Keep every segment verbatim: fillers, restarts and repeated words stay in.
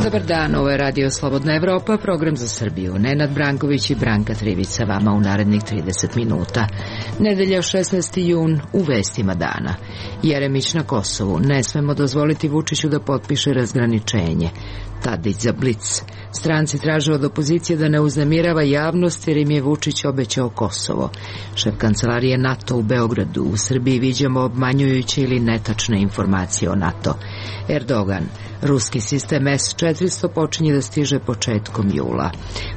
Dobar dan, ovo je Radio Slobodna Evropa, program za Srbiju. Nenad Branković i Branka Trivić sa vama u narednih trideset minuta. Nedelja šesnaesti jun u vestima dana. Jeremić na Kosovu. Ne smemo dozvoliti Vučiću da potpiše razgraničenje. Tadić za Blic. Stranci traže od opozicije da ne uznemirava javnost jer im je Vučić obećao Kosovo. Šef kancelarije NATO u Beogradu. U Srbiji viđamo obmanjujuće ili netačne informacije o NATO. Erdogan. Ruski sistem S četiristo počinje da stiže početkom jula.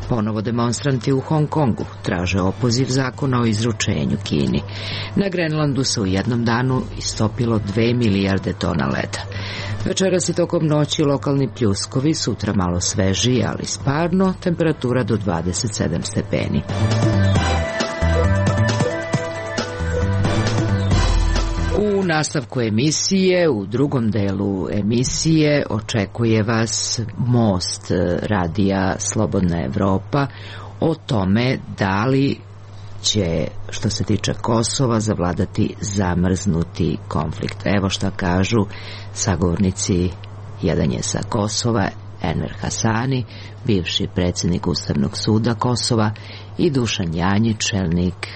Ponovo demonstranti u Hong Kongu traže opoziv zakona o izručenju Kini. Na Grenlandu se u jednom danu istopilo dve milijarde tona leda. Večeras i tokom noći lokalni pljuskovi, sutra malo svežije, ali sparno, temperatura do dvadeset sedam stepeni. U nastavku emisije, u drugom delu emisije, očekuje vas Most radija Slobodna Evropa o tome da li će, što se tiče Kosova, zavladati zamrznuti konflikt. Evo šta kažu sagovornici. Jedan je sa Kosova, Enver Hasani, bivši predsjednik Ustavnog suda Kosova, i Dušan Janjić, čelnik,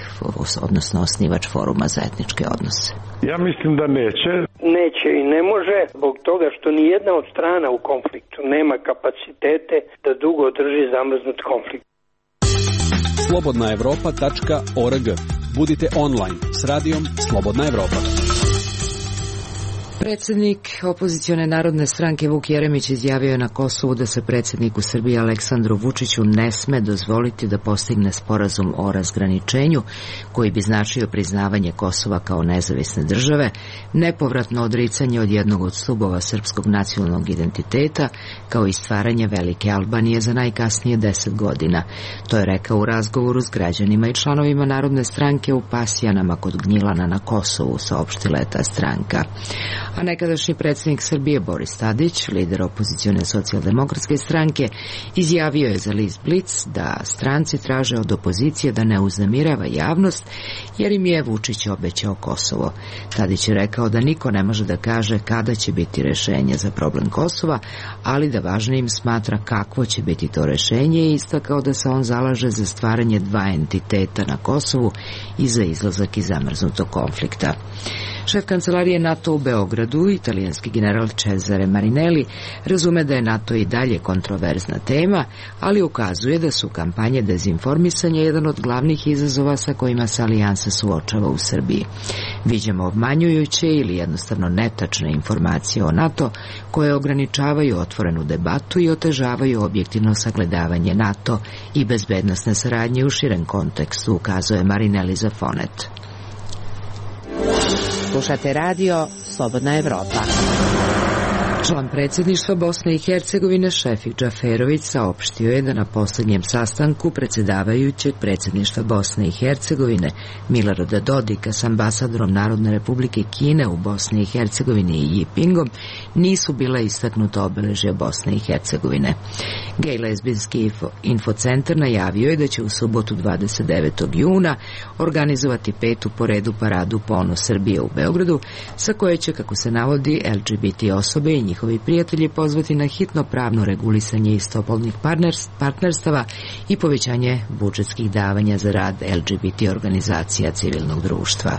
odnosno osnivač Foruma za etničke odnose. Ja mislim da neće. Neće i ne može, zbog toga što ni jedna od strana u konfliktu nema kapacitete da dugo drži zamrznut konflikt. slobodna evropa tačka org. Budite online s radijom Slobodna Evropa. Predsjednik opozicione narodne stranke Vuk Jeremić izjavio je na Kosovu da se predsjedniku Srbije Aleksandru Vučiću ne sme dozvoliti da postigne sporazum o razgraničenju koji bi značio priznavanje Kosova kao nezavisne države, nepovratno odricanje od jednog od stubova srpskog nacionalnog identiteta, kao i stvaranje Velike Albanije za najkasnije deset godina. To je rekao u razgovoru s građanima i članovima narodne stranke u Pasjanama kod Gnjilana na Kosovu, saopštila je ta stranka. A nekadašnji predsjednik Srbije Boris Tadić, lider opozicione socijaldemokratske stranke, izjavio je za list Blic da stranci traže od opozicije da ne uznemirava javnost jer im je Vučić obećao Kosovo. Tadić je rekao da niko ne može da kaže kada će biti rešenje za problem Kosova, ali da važnijim smatra kakvo će biti to rešenje i istakao da se on zalaže za stvaranje dva entiteta na Kosovu i za izlazak iz zamrznutog konflikta. Šef kancelarije NATO u Beogradu, italijanski general Cesare Marinelli, razume da je NATO i dalje kontroverzna tema, ali ukazuje da su kampanje dezinformisanja jedan od glavnih izazova sa kojima se alijansa suočava u Srbiji. Viđamo obmanjujuće ili jednostavno netačne informacije o NATO koje ograničavaju otvorenu debatu i otežavaju objektivno sagledavanje NATO i bezbednosne saradnje u širem kontekstu, ukazuje Marinelli za Fonet. Slušate radio Slobodna Evropa. Član predsjedništva Bosne i Hercegovine Šefik Džaferović saopštio je da na posljednjem sastanku predsjedavajućeg predsjedništva Bosne i Hercegovine Milorada Dodika s ambasadorom Narodne Republike Kine u Bosni i Hercegovini i Jipingom nisu bila istaknuta obeležja Bosne i Hercegovine. Gej lezbijski info, infocentar najavio je da će u subotu dvadeset devetog juna organizovati petu po redu paradu Ponos Srbije u Beogradu, sa koje će, kako se navodi, L G B T osobe i njihovi prijatelji pozvati na hitno pravno regulisanje istopolnih partnerstava i povećanje budžetskih davanja za rad L G B T organizacija civilnog društva.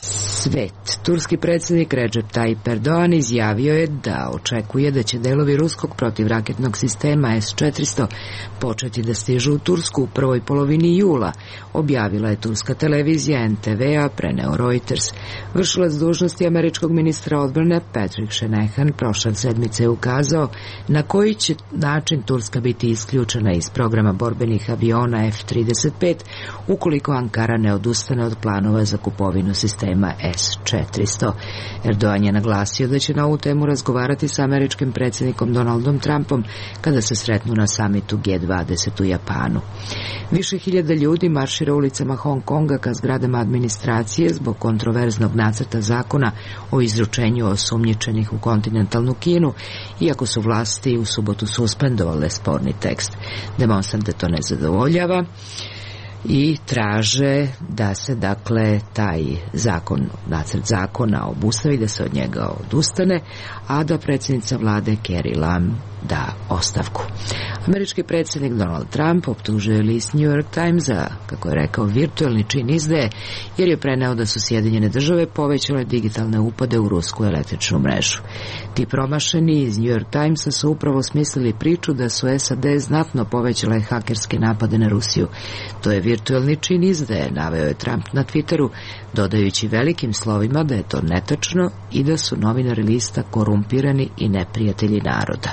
Svet. Turski predsjednik Recep Tayyip Erdogan izjavio je da očekuje da će delovi ruskog protivraketnog sistema S četiristo početi da stižu u Tursku u prvoj polovini jula, objavila je turska televizija N T V, a preneo Reuters. Vršilac dužnosti američkog ministra odbrane Patrick Shanahan prošle sedmice je ukazao na koji će način Turska biti isključena iz programa borbenih aviona F trideset pet ukoliko Ankara ne odustane od planova za kupovinu sistema S četiristo. Erdogan je naglasio da će na ovu temu razgovarati sa američkim predsjednikom Donaldom Trumpom kada se sretnu na samitu G dvadeset u Japanu. Više hiljada ljudi maršira ulicama Hong Konga ka zgradama administracije zbog kontroverznog nacrta zakona o izručenju osumnjičenih u kontinentalnu Kinu, iako su vlasti u subotu suspendovale sporni tekst. Demonstrante to ne zadovoljava i traže da se, dakle, taj zakon, nacrt zakona obustavi, da se od njega odustane, a da predsjednica vlade Carrie Lam da ostavku. Američki predsjednik Donald Trump optužuje list New York Times za, kako je rekao, virtualni čin izdaje, jer je preneo da su Sjedinjene države povećale digitalne upade u rusku električnu mrežu. Ti promašeni iz New York Timesa su upravo smislili priču da su S A D znatno povećale hakerske napade na Rusiju. To je virtualni čin izdaje, naveo je Trump na Twitteru, dodajući velikim slovima da je to netačno i da su novinari lista korumpirani i neprijatelji naroda.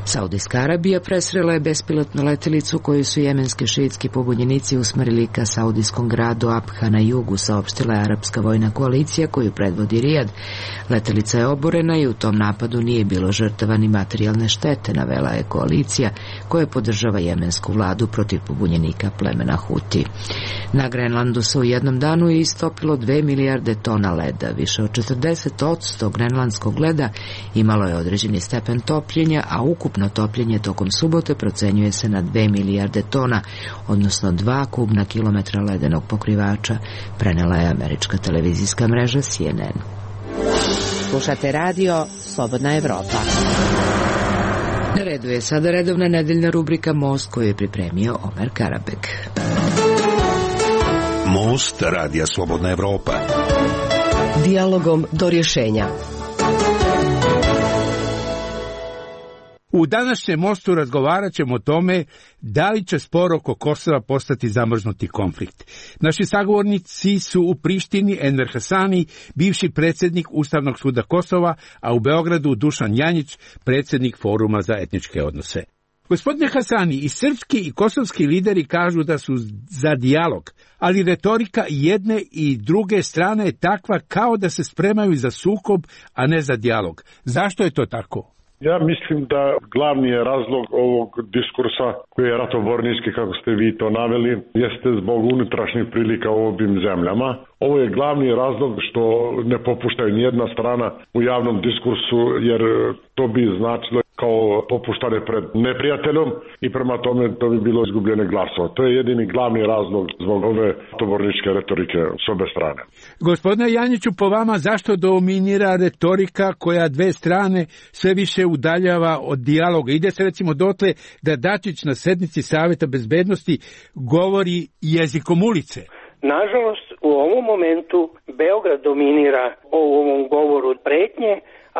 Saudijska Arabija presrela je bespilotnu letelicu koju su jemenski šiitski pobunjenici usmerili ka saudijskom gradu Abha na jugu, saopštila je arapska vojna koalicija koju predvodi Rijad. Letelica je oborena i u tom napadu nije bilo žrtava ni materijalne štete, navela je koalicija koja podržava jemensku vladu protiv pobunjenika plemena Huti. Na Grenlandu se u jednom danu je istopilo dve milijarde tona leda. Više od četrdeset posto grenlandskog leda imalo je određeni stepen topljenja, a ukupno topljenje tokom subote procenjuje se na dve milijarde tona, odnosno dva kubna kilometra ledenog pokrivača, prenela je američka televizijska mreža C N N. Slušate radio Slobodna Evropa. Na redu je sada redovna nedeljna rubrika Most koju je pripremio Omer Karabek. Most radija Slobodna Evropa. Dijalogom do rješenja. U današnjem mostu razgovarat ćemo o tome da li će spor oko Kosova postati zamrznuti konflikt. Naši sagovornici su u Prištini Enver Hasani, bivši predsjednik Ustavnog suda Kosova, a u Beogradu Dušan Janjić, predsjednik Foruma za etničke odnose. Gospodine Hasani, i srpski i kosovski lideri kažu da su za dijalog, ali retorika jedne i druge strane je takva kao da se spremaju za sukob, a ne za dijalog. Zašto je to tako? Ja mislim da glavni je razlog ovog diskursa koji je ratobornički, kako ste vi to naveli, jeste zbog unutrašnjih prilika u ovim zemljama. Ovo je glavni razlog što ne popuštaju nijedna strana u javnom diskursu, jer to bi značilo kao popuštane pred neprijateljom i prema tome to bi bilo izgubljene glasova. To je jedini glavni razlog zbog ove ratoborničke retorike s obe strane. Gospodine Janjiću, po vama zašto dominira retorika koja dve strane sve više udaljava od dijaloga? Ide se recimo dotle da Dačić na sednici Saveta bezbednosti govori jezikom ulice. Nažalost, u ovom momentu Beograd dominira u ovom govoru pretnje,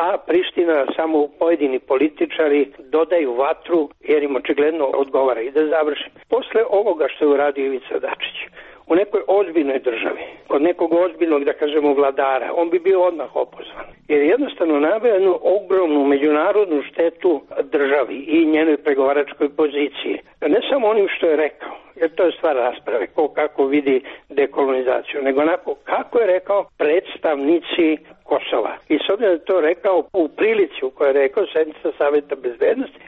a Priština samo pojedini političari dodaju vatru jer im očigledno odgovara. I da završim. Posle ovoga što je uradio Ivica Dačić u nekoj ozbiljnoj državi, kod nekog ozbiljnog, da kažemo, vladara, on bi bio odmah opozvan. Jer jednostavno naveo jednu ogromnu međunarodnu štetu državi i njenoj pregovaračkoj poziciji. Ne samo onim što je rekao, jer to je stvar rasprave, ko kako vidi dekolonizaciju, nego onako kako je rekao predstavnici Kosova. I s obzirom da je to rekao u prilici u kojoj je rekao sednica Saveta bezbednosti,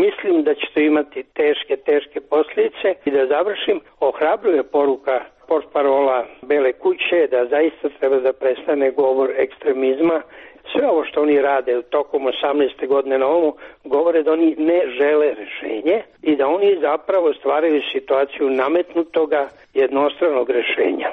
mislim da će to imati teške, teške posljedice. I da završim, ohrabruje poruka portparola Bele kuće da zaista treba da prestane govor ekstremizma. Sve ovo što oni rade tokom osamnaeste godine na ovom govore da oni ne žele rešenje i da oni zapravo stvaraju situaciju nametnutoga jednostranog rešenja.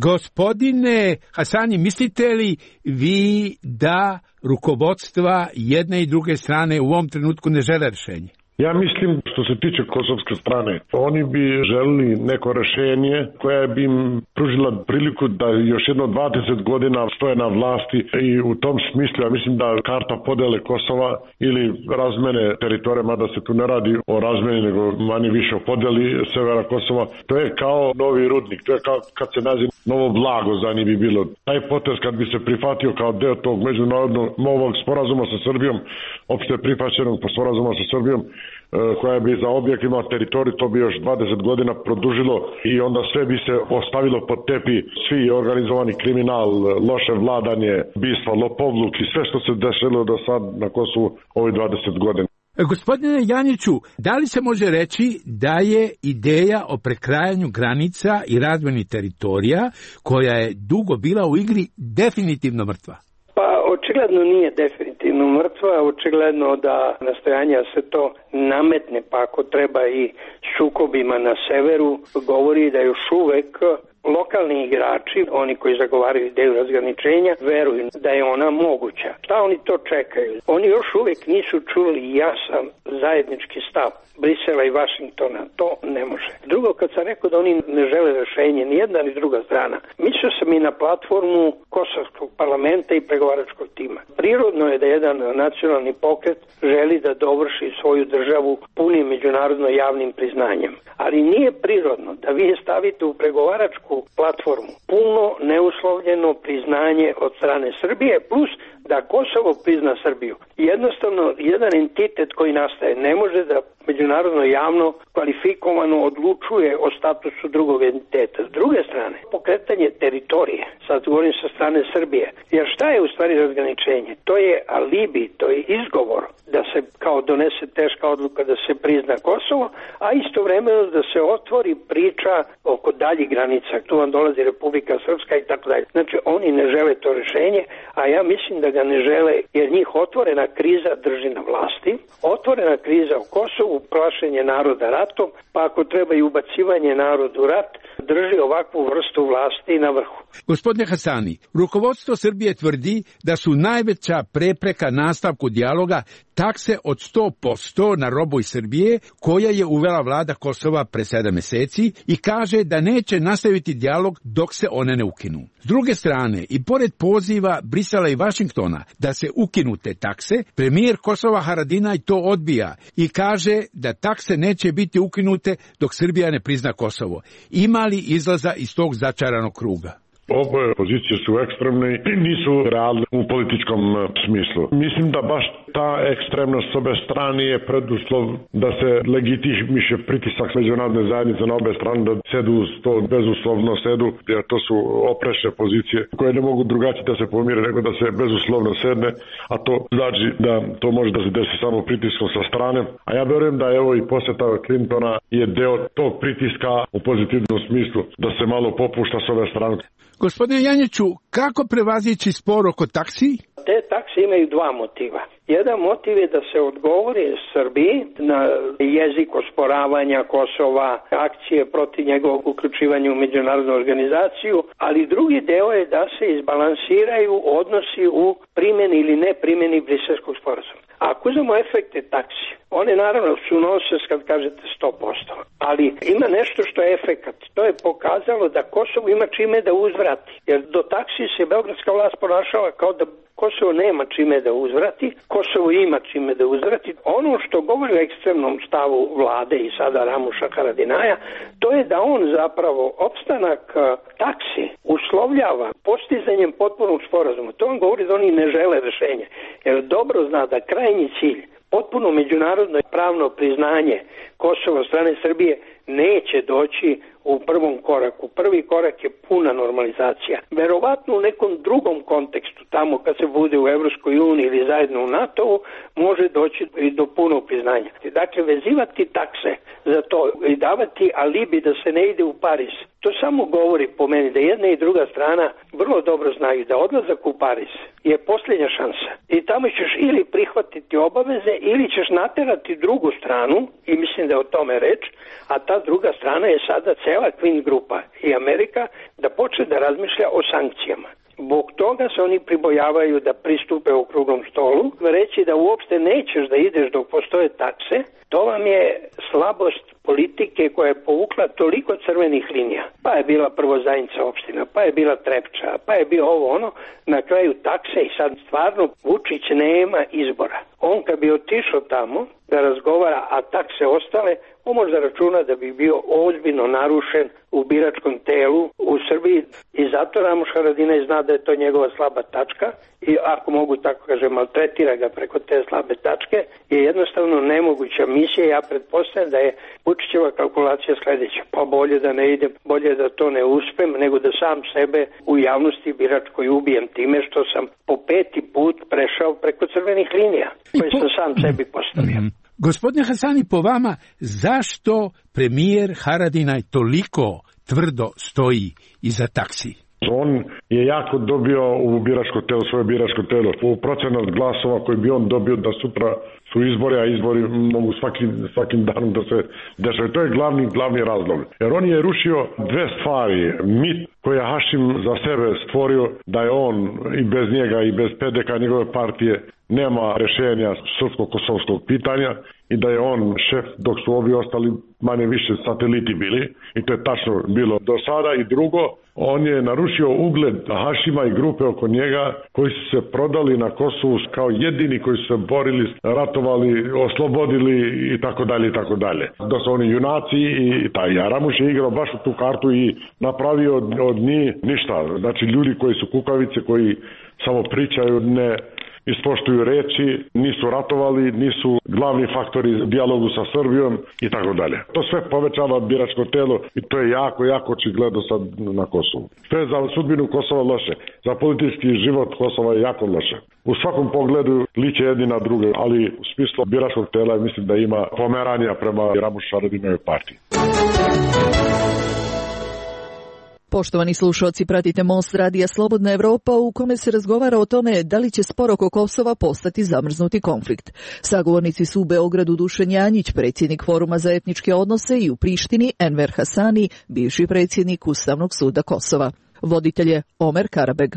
Gospodine Hasani, mislite li vi da rukovodstva jedne i druge strane u ovom trenutku ne žele rešenje? Ja mislim, što se tiče kosovske strane, oni bi želili neko rešenje koje bi im pružila priliku da još jedno dvadeset godina stoje na vlasti i u tom smislu, ja mislim da karta podele Kosova ili razmene teritorija, mada se tu ne radi o razmeni, nego manje više o podeli severa Kosova, to je kao novi rudnik, to je kao kad se nađe novo blago za njih bi bilo. Taj potez kad bi se prihvatio kao deo tog međunarodnog novog sporazuma sa Srbijom, opšte prihvaćenog sporazuma sa Srbijom, koja bi za objekt imala teritoriju, to bi još dvadeset godina produžilo i onda sve bi se ostavilo pod tepi, svi organizovani kriminal, loše vladanje, bistva, lopovluk i sve što se dešelo do sad na Kosovu ovih dvadeset godina. Gospodine Janjiću, da li se može reći da je ideja o prekrajanju granica i razmeni teritorija, koja je dugo bila u igri, definitivno mrtva? Pa očigledno nije definitivno mrtva, očigledno da nastojanja se to nametne, pa ako treba i sukobima na severu, govori da još uvek lokalni igrači, oni koji zagovaraju ideju razgraničenja, veruju da je ona moguća. Šta oni to čekaju? Oni još uvek nisu čuli jasan zajednički stav Brisela i Vašingtona. To ne može. Drugo, kad sam rekao da oni ne žele rešenje, ni jedna ni druga strana, mislio sam i na platformu Kosovskog parlamenta i pregovaračkog tima. Prirodno je da jedan nacionalni pokret želi da dovrši svoju državu punim međunarodno javnim priznanjem. Ali nije prirodno da vi stavite u pregovaračku platformu puno neuslovljeno priznanje od strane Srbije plus da Kosovo prizna Srbiju. Jednostavno, jedan entitet koji nastaje ne može da međunarodno javno kvalifikovano odlučuje o statusu drugog entiteta. S druge strane, pokretanje teritorije, sad govorim sa strane Srbije, jer šta je u stvari razgraničenje? To je alibi, to je izgovor da se kao donese teška odluka da se prizna Kosovo, a istovremeno da se otvori priča oko daljih granica. Tu vam dolazi Republika Srpska i tako dalje. Znači, oni ne žele to rešenje, a ja mislim da ga ne žele, jer njih otvorena kriza drži na vlasti, otvorena kriza u Kosovu, plašenje naroda ratom, pa ako treba i ubacivanje narodu u rat, drži ovakvu vrstu vlasti na vrhu. Gospodine Hasani, rukovodstvo Srbije tvrdi da su najveća prepreka nastavku dijaloga takse od sto posto na robu iz Srbije, koja je uvela vlada Kosova pre sedam meseci i kaže da neće nastaviti dijalog dok se one ne ukinu. S druge strane, i pored poziva Brisela i Vašingtona da se ukinu te takse, premijer Kosova Haradinaj to odbija i kaže da takse neće biti ukinute dok Srbija ne prizna Kosovo. Ima li izlaza iz tog začaranog kruga? Oboje pozicije su ekstremne i nisu realne u političkom smislu. Mislim da baš ta ekstremnost s obe strane je preduslov da se legitimiše pritisak međunarodne zajednice na obe strane, da sedu to bezuslovno sedu, jer to su oprečne pozicije koje ne mogu drugačije da se pomire nego da se bezuslovno sedne, a to znači da to može da se desi samo pritiskom sa strane. A ja verujem da evo i poseta Clintona je deo tog pritiska u pozitivnom smislu, da se malo popušta s ove strane. Gospodine Janjiću, kako prevazići spor oko taksi? Te takse imaju dva motiva. Jedan motiv je da se odgovori Srbiji na jezik osporavanja Kosova, akcije protiv njegovog uključivanja u međunarodnu organizaciju, ali drugi deo je da se izbalansiraju odnosi u primjeni ili ne primjeni Briselskog sporazuma. Ako uzmemo efekte taksi, one naravno su nonsens kad kažete sto posto, ali ima nešto što je efekat. To je pokazalo da Kosovo ima čime da uzvrati, jer do taksi se beogradska vlast ponašala kao da Kosovo nema čime da uzvrati, Kosovo ima čime da uzvrati. Ono što govori o ekstremnom stavu vlade i sada Ramuša Haradinaja, to je da on zapravo opstanak taksi uslovljava postizanjem potpunog sporazuma. To on govori da oni ne žele rešenje, jer dobro zna da krajnji cilj, potpuno međunarodno pravno priznanje Kosova od strane Srbije neće doći u prvom koraku. Prvi korak je puna normalizacija. Verovatno u nekom drugom kontekstu, tamo kad se bude u Evropskoj uniji ili zajedno u NATO-u, može doći i do punog priznanja. Dakle, vezivati takse za to i davati alibi da se ne ide u Pariz, to samo govori po meni da jedna i druga strana vrlo dobro znaju da odlazak u Pariz je posljednja šansa. I tamo ćeš ili prihvatiti obaveze ili ćeš naterati drugu stranu, i mislim da je o tome reč, a ta druga strana je sada cela Queen grupa i Amerika, da počne da razmišlja o sankcijama. Zbog toga se oni pribojavaju da pristupe u okruglom stolu, reći da uopšte nećeš da ideš dok postoje takse, to vam je slabost politike koja je povukla toliko crvenih linija. Pa je bila prvo Zajinca opština, pa je bila Trepča, pa je bio ovo ono, na kraju takse i sad stvarno Vučić nema izbora. On kad bi otišao tamo da razgovara, a takse ostale, on može da računa da bi bio ozbiljno narušen u biračkom telu u Srbiji i zato Ramuš Haradinaj zna da je to njegova slaba tačka i ako mogu tako kažem maltretira ga preko te slabe tačke je jednostavno nemoguća misija. Ja pretpostavljam da je Vučićeva kalkulacija sledeća, pa bolje da ne idem, bolje da to ne uspem nego da sam sebe u javnosti biračkoj ubijem time što sam po peti put prešao preko crvenih linija koje sam sam sebi postavio. Gospodine Hasani, po vama, zašto premijer Haradinaj toliko tvrdo stoji iza taksi? On je jako dobio u biračko telo, svoje biračko telo, u procenat glasova koji bi on dobio da sutra su izbori, a izbori mogu svakim, svakim danom da se dešaju. To je glavni, glavni razlog. Jer on je rušio dve stvari. Mit koji je Hašim za sebe stvorio da je on i bez njega i bez P D K njegove partije nema rešenja srpsko-kosovskog pitanja i da je on šef dok su ovi ostali manje više sateliti bili i to je tačno bilo do sada. I drugo, on je narušio ugled Hašima i grupe oko njega koji su se prodali na Kosovu kao jedini koji su se borili, ratovali, oslobodili i tako dalje i tako dalje. Da su oni junaci i taj Ramuš je igrao baš u tu kartu i napravio od, od njih ništa. Znači ljudi koji su kukavice, koji samo pričaju, ne ispoštuju reči, nisu ratovali, nisu glavni faktori dijalogu sa Srbijom i tako dalje. To sve povećava biračko telo i to je jako, jako očigledno sad na Kosovu. To je za sudbinu Kosova loše, za politički život Kosova je jako loše. U svakom pogledu liče jedni na druge, ali u smislu biračkog tela mislim da ima pomeranja prema Ramušu Haradinajevoj partiji. Poštovani slušalci, pratite Most radija Slobodna Evropa u kome se razgovara o tome da li će spor oko Kosova postati zamrznuti konflikt. Sagovornici su u Beogradu Dušan Janjić, predsjednik Foruma za etničke odnose, i u Prištini Enver Hasani, bivši predsjednik Ustavnog suda Kosova. Voditelj je Omer Karabeg.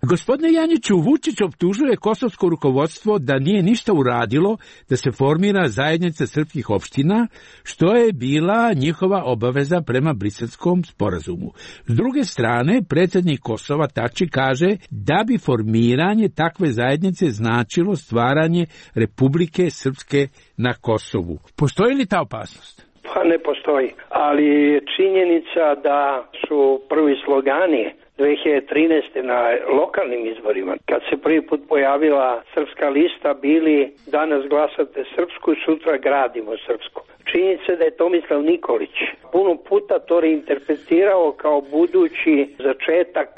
Gospodine Janjiću, Vučić optužuje kosovsko rukovodstvo da nije ništa uradilo da se formira zajednica srpskih opština, što je bila njihova obaveza prema Briselskom sporazumu. S druge strane, predsjednik Kosova Tači kaže da bi formiranje takve zajednice značilo stvaranje Republike Srpske na Kosovu. Postoji li ta opasnost? Pa ne postoji, ali činjenica da su prvi slogani dve hiljade trinaeste. na lokalnim izborima, kad se prvi put pojavila srpska lista, bili danas glasate srpsku, sutra gradimo srpsku. Činjenica da je Tomislav Nikolić puno puta to reinterpretirao kao budući začetak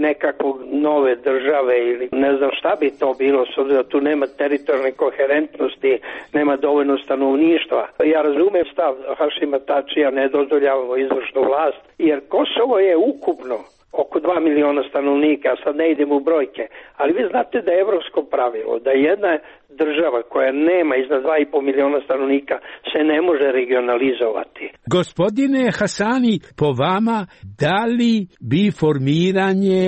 nekakvog nove države ili ne znam šta bi to bilo, s obzirom da tu nema teritorijalne koherentnosti, nema dovoljno stanovništva. Ja razumem stav Hašima Tačija, ne dozvoljavamo izvršnu vlast, jer Kosovo je ukupno oko dva miliona stanovnika, sad ne idemo u brojke, ali vi znate da je evropsko pravilo, da jedna država koja nema iznad dva i po miliona stanovnika se ne može regionalizovati. Gospodine Hasani, po vama, da li bi formiranje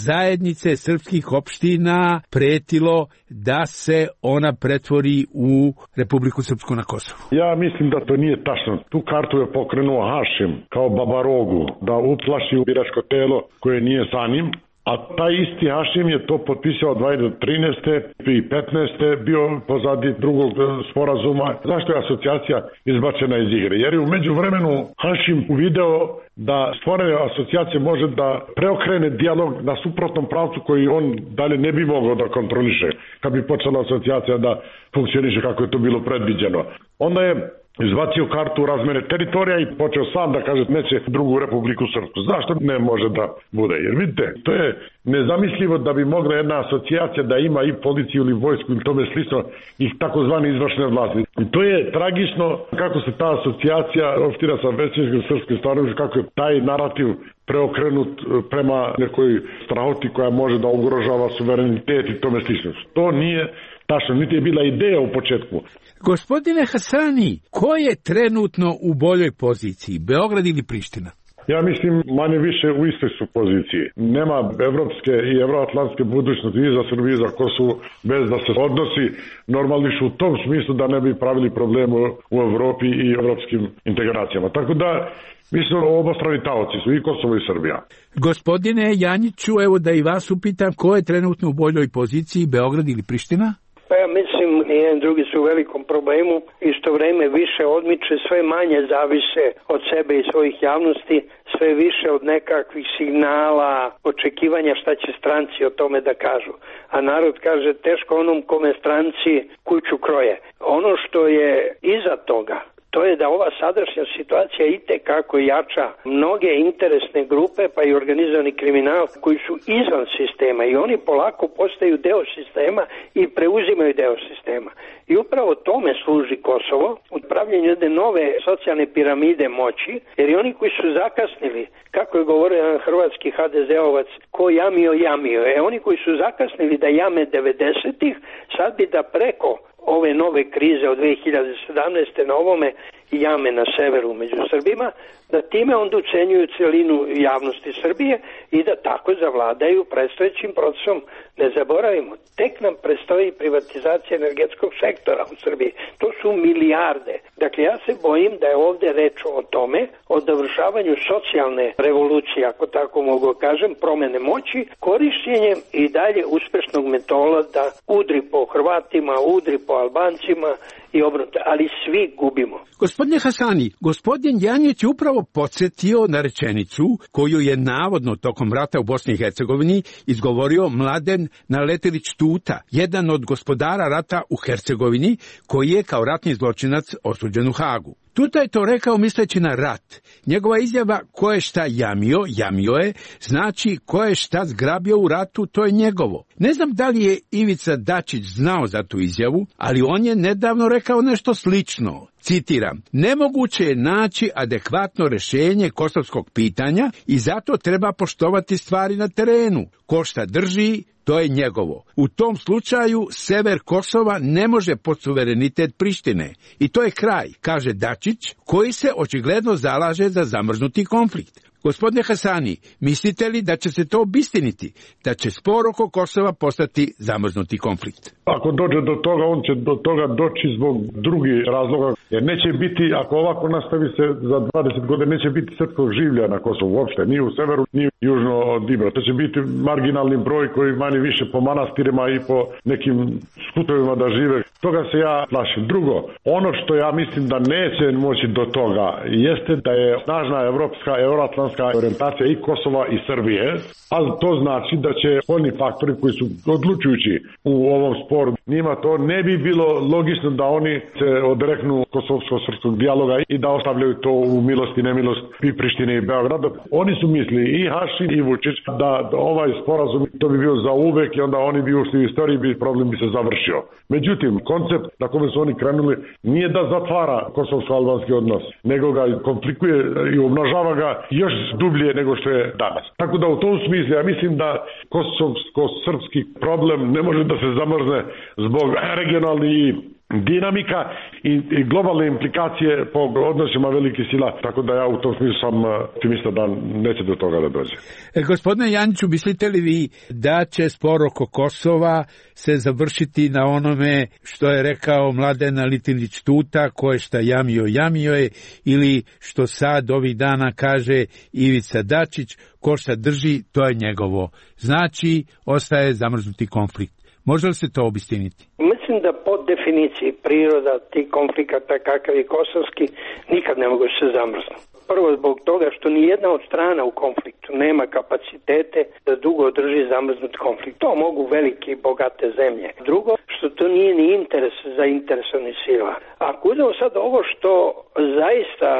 zajednice srpskih opština pretilo da se ona pretvori u Republiku Srpsku na Kosovu? Ja mislim da to nije tačno. Tu kartu je pokrenuo Hašim kao babarogu da uplaši biračko telo koje nije za njim. A taj isti Hašim je to potpisao dve hiljade trinaeste. i petnaeste. bio pozadi drugog sporazuma. Zašto je asocijacija izbačena iz igre? Jer je u međuvremenu Hašim uvideo da stvorene asocijacije može da preokrene dijalog na suprotnom pravcu koji on dalje ne bi mogao da kontroliše kad bi počela asocijacija da funkcioniše kako je to bilo predviđeno. Onda je izbacio kartu razmene teritorija i počeo sam da kaže neće drugu Republiku Srpsku. Zašto ne može da bude? Jer vidite, to je nezamislivo da bi mogla jedna asocijacija da ima i policiju ili vojsku ili tome slično i takozvane izvršne vlasti. I to je tragično kako se ta asocijacija opštira sa većinskim srpskim stvarnošću, kako je taj narativ preokrenut prema nekoj strahoti koja može da ugrožava suverenitet i tome slično. To nije tačno, niti je bila ideja u početku. Gospodine Hasani, ko je trenutno u boljoj poziciji, Beograd ili Priština? Ja mislim manje više u istoj su poziciji. Nema evropske i evroatlantske budućnosti i za Srbiju i za Kosovo bez da se odnosi normališu u tom smislu da ne bi pravili problemu u Evropi i evropskim integracijama. Tako da mislim obostrani taoci su i Kosovo i Srbija. Gospodine Janjiću, evo da i vas upitam, ko je trenutno u boljoj poziciji, Beograd ili Priština? Pa ja mislim, jedan drugi su u velikom problemu, isto vreme više odmiče, sve manje zavise od sebe i svojih javnosti, sve više od nekakvih signala, očekivanja šta će stranci o tome da kažu. A narod kaže teško onom kome stranci kuću kroje. Ono što je iza toga, to je da ova sadašnja situacija itekako jača mnoge interesne grupe, pa i organizovani kriminal koji su izvan sistema i oni polako postaju deo sistema i preuzimaju deo sistema. I upravo tome služi Kosovo, u pravljenju jedne nove socijalne piramide moći, jer i oni koji su zakasnili, kako je govorio jedan hrvatski ha de zeovac, ko jamio, jamio. E oni koji su zakasnili da jame devedesetih, sad bi da preko ove nove krize od dve hiljade sedamnaeste na ovome jame na severu među Srbima, da time onda ucenjuju celinu javnosti Srbije i da tako zavladaju predstojećim procesom. Ne zaboravimo, tek nam predstoji privatizacija energetskog sektora u Srbiji. To su milijarde. Dakle, ja se bojim da je ovde reč o tome, o dovršavanju socijalne revolucije, ako tako mogu kažem, promene moći, korišćenjem i dalje uspešnog metoda da udri po Hrvatima, udri po Albancima i obrnuto, ali svi gubimo. Gospodine Hasani, gospodin Janjić je upravo podsjetio na rečenicu koju je navodno tokom rata u Bosni i Hercegovini izgovorio Mladen Naletilić Tuta, jedan od gospodara rata u Hercegovini, koji je kao ratni zločinac osuđen u Hagu. Tuta je to rekao misleći na rat. Njegova izjava ko je šta jamio, jamio je, znači ko je šta zgrabio u ratu, to je njegovo. Ne znam da li je Ivica Dačić znao za tu izjavu, ali on je nedavno rekao nešto slično. Citiram, nemoguće je naći adekvatno rešenje kosovskog pitanja i zato treba poštovati stvari na terenu. Ko šta drži, to je njegovo. U tom slučaju sever Kosova ne može pod suverenitet Prištine. I to je kraj, kaže Dačić, koji se očigledno zalaže za zamrznuti konflikt. Gospodine Hasani, mislite li da će se to obistiniti, da će spor oko Kosova postati zamrznuti konflikt? Ako dođe do toga, on će do toga doći zbog drugih razloga, jer neće biti, ako ovako nastavi se za dvadeset godina, neće biti srpskog življa na Kosovu uopšte, ni u severu, ni južno od Ibra. To će biti marginalni broj koji manje više po manastirima i po nekim skutovima da žive. Toga se ja plašim. Drugo, ono što ja mislim da neće moći do toga, jeste da je snažna evropska, euroatlantska orijentacija i Kosova i Srbije, ali to znači da će spoljni faktori koji su odlučujući u ovom sporu, njima to ne bi bilo logično da oni se odreknu kosovsko-srpskog dijaloga i da ostavljaju to u milost i nemilost i Prištine i Beograda. Oni su mislili, i Hašin i Vučić, da ovaj sporazum to bi bio za uvek i onda oni bi ušli u istoriju i problem bi se završio. Međutim, koncept na kome su oni krenuli nije da zatvara kosovsko-albanski odnos, nego ga komplikuje i umnožava ga još dublje nego što je danas. Tako da u tom smislu ja mislim da kosovsko-srpski problem ne može da se zamrzne zbog regionalnih dinamika i, i globalne implikacije po odnosima velikih sila, tako da ja u tom smislu sam optimista da neće do toga da dođe. E, gospodine Janjiću, mislite li vi da će spor oko Kosova se završiti na onome što je rekao Mladen Naletilić Tuta, ko je šta jamio, jamio je, ili što sad ovih dana kaže Ivica Dačić, ko šta drži, to je njegovo. Znači, ostaje zamrznuti konflikt. Može li se to obistiniti? Mislim da po definiciji priroda tih konflikata kakav je kosovski nikad ne mogu se zamrznuti. Prvo zbog toga što ni jedna od strana u konfliktu nema kapacitete da dugo održi zamrznut konflikt. To mogu velike i bogate zemlje. Drugo, što to nije ni interes zainteresovanih sila. Ako uzmemo sad ovo što zaista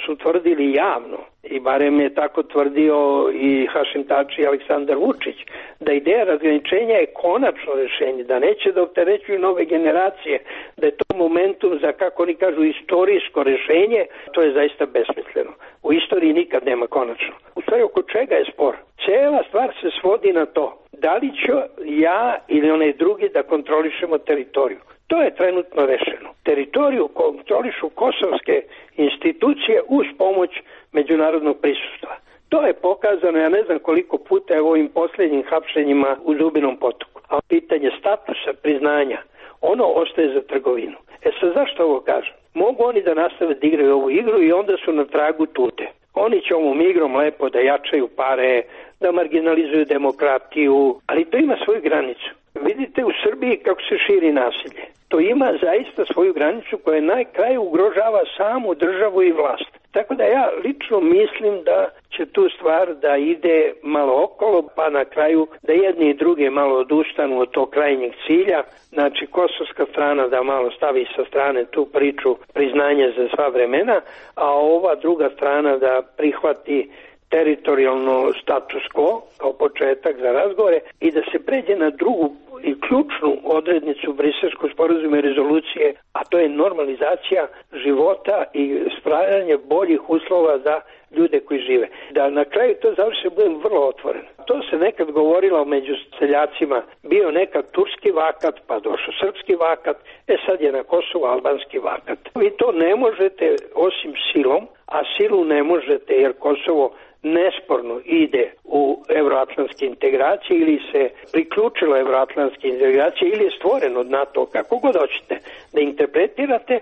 su tvrdili javno, i barem je tako tvrdio i Hašim Tači i Aleksandar Vučić, da ideja razgraničenja je konačno rešenje, da neće da opterećuju nove generacije, da je to momentum za, kako oni kažu, istorijsko rešenje, to je zaista besmisleno. U istoriji nikad nema konačno. U stvari, oko čega je spor? Cijela stvar se svodi na to, da li ću ja ili onaj drugi da kontrolišemo teritoriju. To je trenutno rešeno. Teritoriju kontrolišu kosovske institucije uz pomoć međunarodnog prisustva. To je pokazano, ja ne znam koliko puta je u ovim posljednjim hapšenjima u Zubinom Potoku. A pitanje statusa, priznanja, ono ostaje za trgovinu. E sad, zašto ovo kažem? Mogu oni da nastave da igraju ovu igru i onda su na tragu tute. Oni će ovom igrom lepo da jačaju pare, da marginalizuju demokratiju, ali to ima svoju granicu. Vidite u Srbiji kako se širi nasilje. To ima zaista svoju granicu koja na kraju ugrožava samu državu i vlast. Tako da ja lično mislim da će tu stvar da ide malo okolo, pa na kraju da jedni i druge malo odustanu od tog krajnjeg cilja. Znači, kosovska strana da malo stavi sa strane tu priču priznanje za sva vremena, a ova druga strana da prihvati teritorijalno status quo kao početak za razgovore i da se pređe na drugu i ključnu odrednicu Briselskog sporazuma i rezolucije, a to je normalizacija života i stvaranje boljih uslova za ljude koji žive. Da na kraju to završi, budem vrlo otvoren. To se nekad govorilo među seljacima, bio nekad turski vakat, pa došao srpski vakat, e sad je na Kosovu albanski vakat. Vi to ne možete osim silom, a silu ne možete jer Kosovo nesporno ide u evroatlantske integracije ili se priključilo evroatlantske integracije ili je stvoren od NATO, kako god hoćete da interpretirate,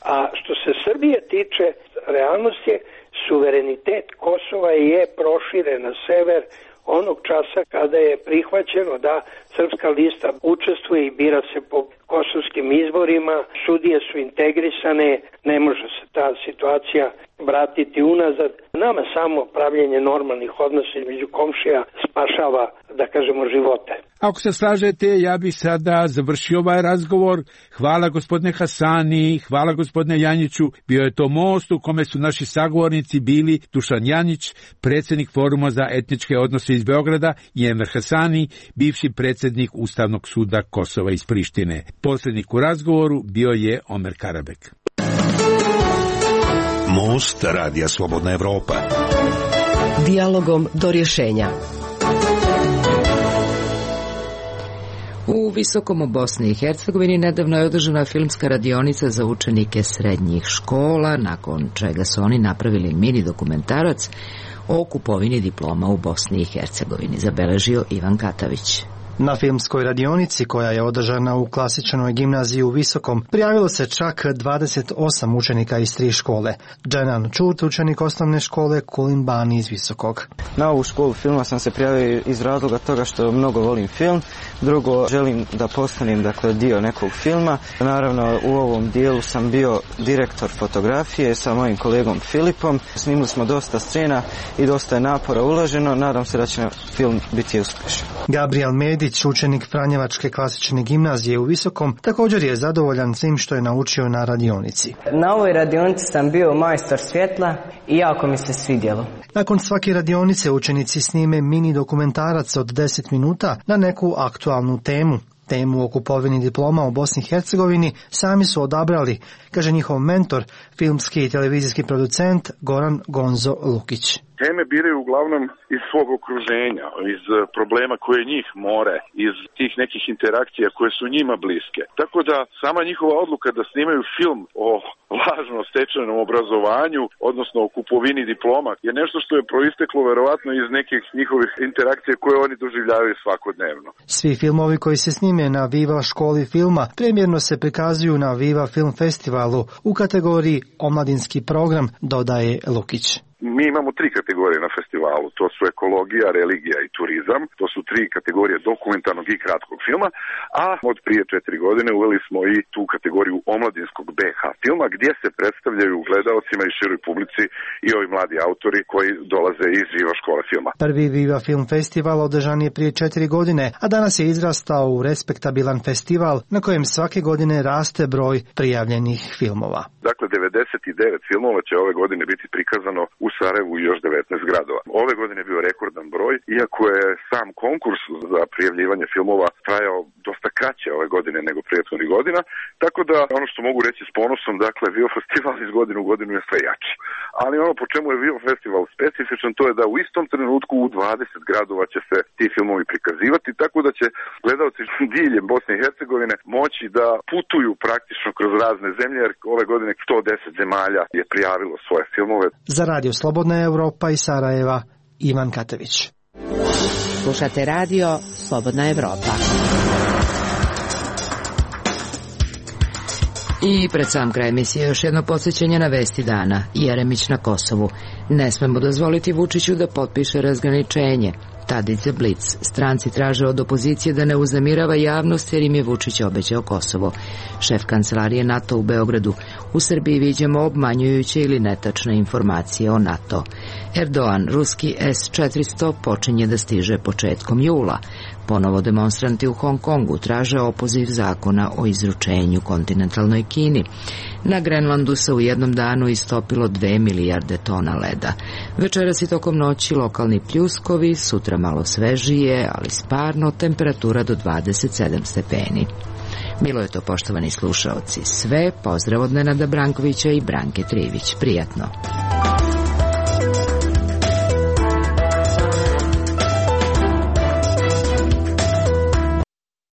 a što se Srbije tiče, realnost je suverenitet Kosova je proširen na sever onog časa kada je prihvaćeno da Srpska lista učestvuje i bira se po kosovskim izborima, sudije su integrisane, ne može se ta situacija vratiti unazad. Nama samo pravljenje normalnih odnosa između komšija spašava, da kažemo, živote. Ako se slažete, ja bih sada završio ovaj razgovor. Hvala gospodine Hasani, hvala gospodine Janjiću. Bio je to most u kome su naši sagovornici bili Dušan Janjić, predsjednik Foruma za etničke odnose iz Beograda, i Enver Hasani, bivši predsjednik Ustavnog suda Kosova iz Prištine. Posljednik u razgovoru bio je Omer Karabek. Most Radija Slobodna Evropa. Dijalogom do rješenja. U Visokom u Bosni i Hercegovini nedavno je održana filmska radionica za učenike srednjih škola, nakon čega su oni napravili mini dokumentarac o kupovini diploma u Bosni i Hercegovini, zabeležio Ivan Katavić. Na filmskoj radionici koja je održana u klasičnoj gimnaziji u Visokom prijavilo se čak dvadeset osam učenika iz tri škole. Dženan Čut, učenik osnovne škole Kulin Bani iz Visokog. Na ovu školu filma sam se prijavio iz razloga toga što mnogo volim film. Drugo, želim da postanem dakle dio nekog filma. Naravno, u ovom dijelu sam bio direktor fotografije sa mojim kolegom Filipom. Snimili smo dosta scena i dosta je napora uloženo. Nadam se da će film biti uspješan. Gabriel Medić, učenik Franjevačke klasične gimnazije u Visokom, također je zadovoljan svim što je naučio na radionici. Na ovoj radionici sam bio majstor svjetla i jako mi se svidjelo. Nakon svake radionice učenici snime mini dokumentarac od deset minuta na neku aktualnu temu. Temu o kupovini diploma u Bosni i Hercegovini sami su odabrali, kaže njihov mentor, filmski i televizijski producent Goran Gonzo Lukić. Teme biraju uglavnom iz svog okruženja, iz problema koje njih more, iz tih nekih interakcija koje su njima bliske. Tako da sama njihova odluka da snimaju film o lažno stečenom obrazovanju, odnosno o kupovini diploma, je nešto što je proisteklo verovatno iz nekih njihovih interakcija koje oni doživljavaju svakodnevno. Svi filmovi koji se snime na Viva školi filma premjerno se prikazuju na Viva film festivalu u kategoriji omladinski program, dodaje Lukić. Mi imamo tri kategorije na festivalu, to su ekologija, religija i turizam, to su tri kategorije dokumentarnog i kratkog filma, a od prije četiri godine uveli smo i tu kategoriju omladinskog be ha filma, gdje se predstavljaju gledaocima i široj publici i ovi mladi autori koji dolaze iz Viva škole filma. Prvi Viva film festival održan je prije četiri godine, a danas je izrastao u respektabilan festival na kojem svake godine raste broj prijavljenih filmova. Dakle, devedeset devet filmova će ove godine biti prikazano u Sarajevu i još devetnaest gradova. ove godine bio rekordan broj, iako je sam konkurs za prijavljivanje filmova trajao dosta kraće ove godine nego prethodnih godina, tako da ono što mogu reći s ponosom, dakle, Vivo festival iz godine u godinu je sve jači. Ali ono po čemu je Vivo festival specifičan, to je da u istom trenutku u dvadeset gradova će se ti filmovi prikazivati, tako da će gledalci diljem Bosne i Hercegovine moći da putuju praktično kroz razne zemlje, jer ove godine sto deset zemalja je prijavilo svoje filmove. Za Radio Slobodna Evropa iz Sarajeva, Ivan Katević. Slušate radio Slobodna Evropa. I pred sam kraj emisije još jedno podsjećanje na vesti dana. Jeremić na Kosovu. Ne smemo dozvoliti Vučiću da potpiše razgraničenje. Tadić za Blic. Stranci traže od opozicije da ne uznemirava javnost jer im je Vučić obećao Kosovo. Šef kancelarije NATO u Beogradu. U Srbiji viđamo obmanjujuće ili netačne informacije o NATO. Erdogan, ruski S četiristo počinje da stiže početkom jula. Ponovo demonstranti u Hong Kongu traže opoziv zakona o izručenju kontinentalnoj Kini. Na Grenlandu se u jednom danu istopilo dve milijarde tona leda. Večeras i tokom noći lokalni pljuskovi, sutra malo svežije, ali sparno, temperatura do dvadeset sedam stepeni. Bilo je to, poštovani slušaoci, sve. Pozdrav od Nenada Brankovića i Branke Trivić. Prijatno.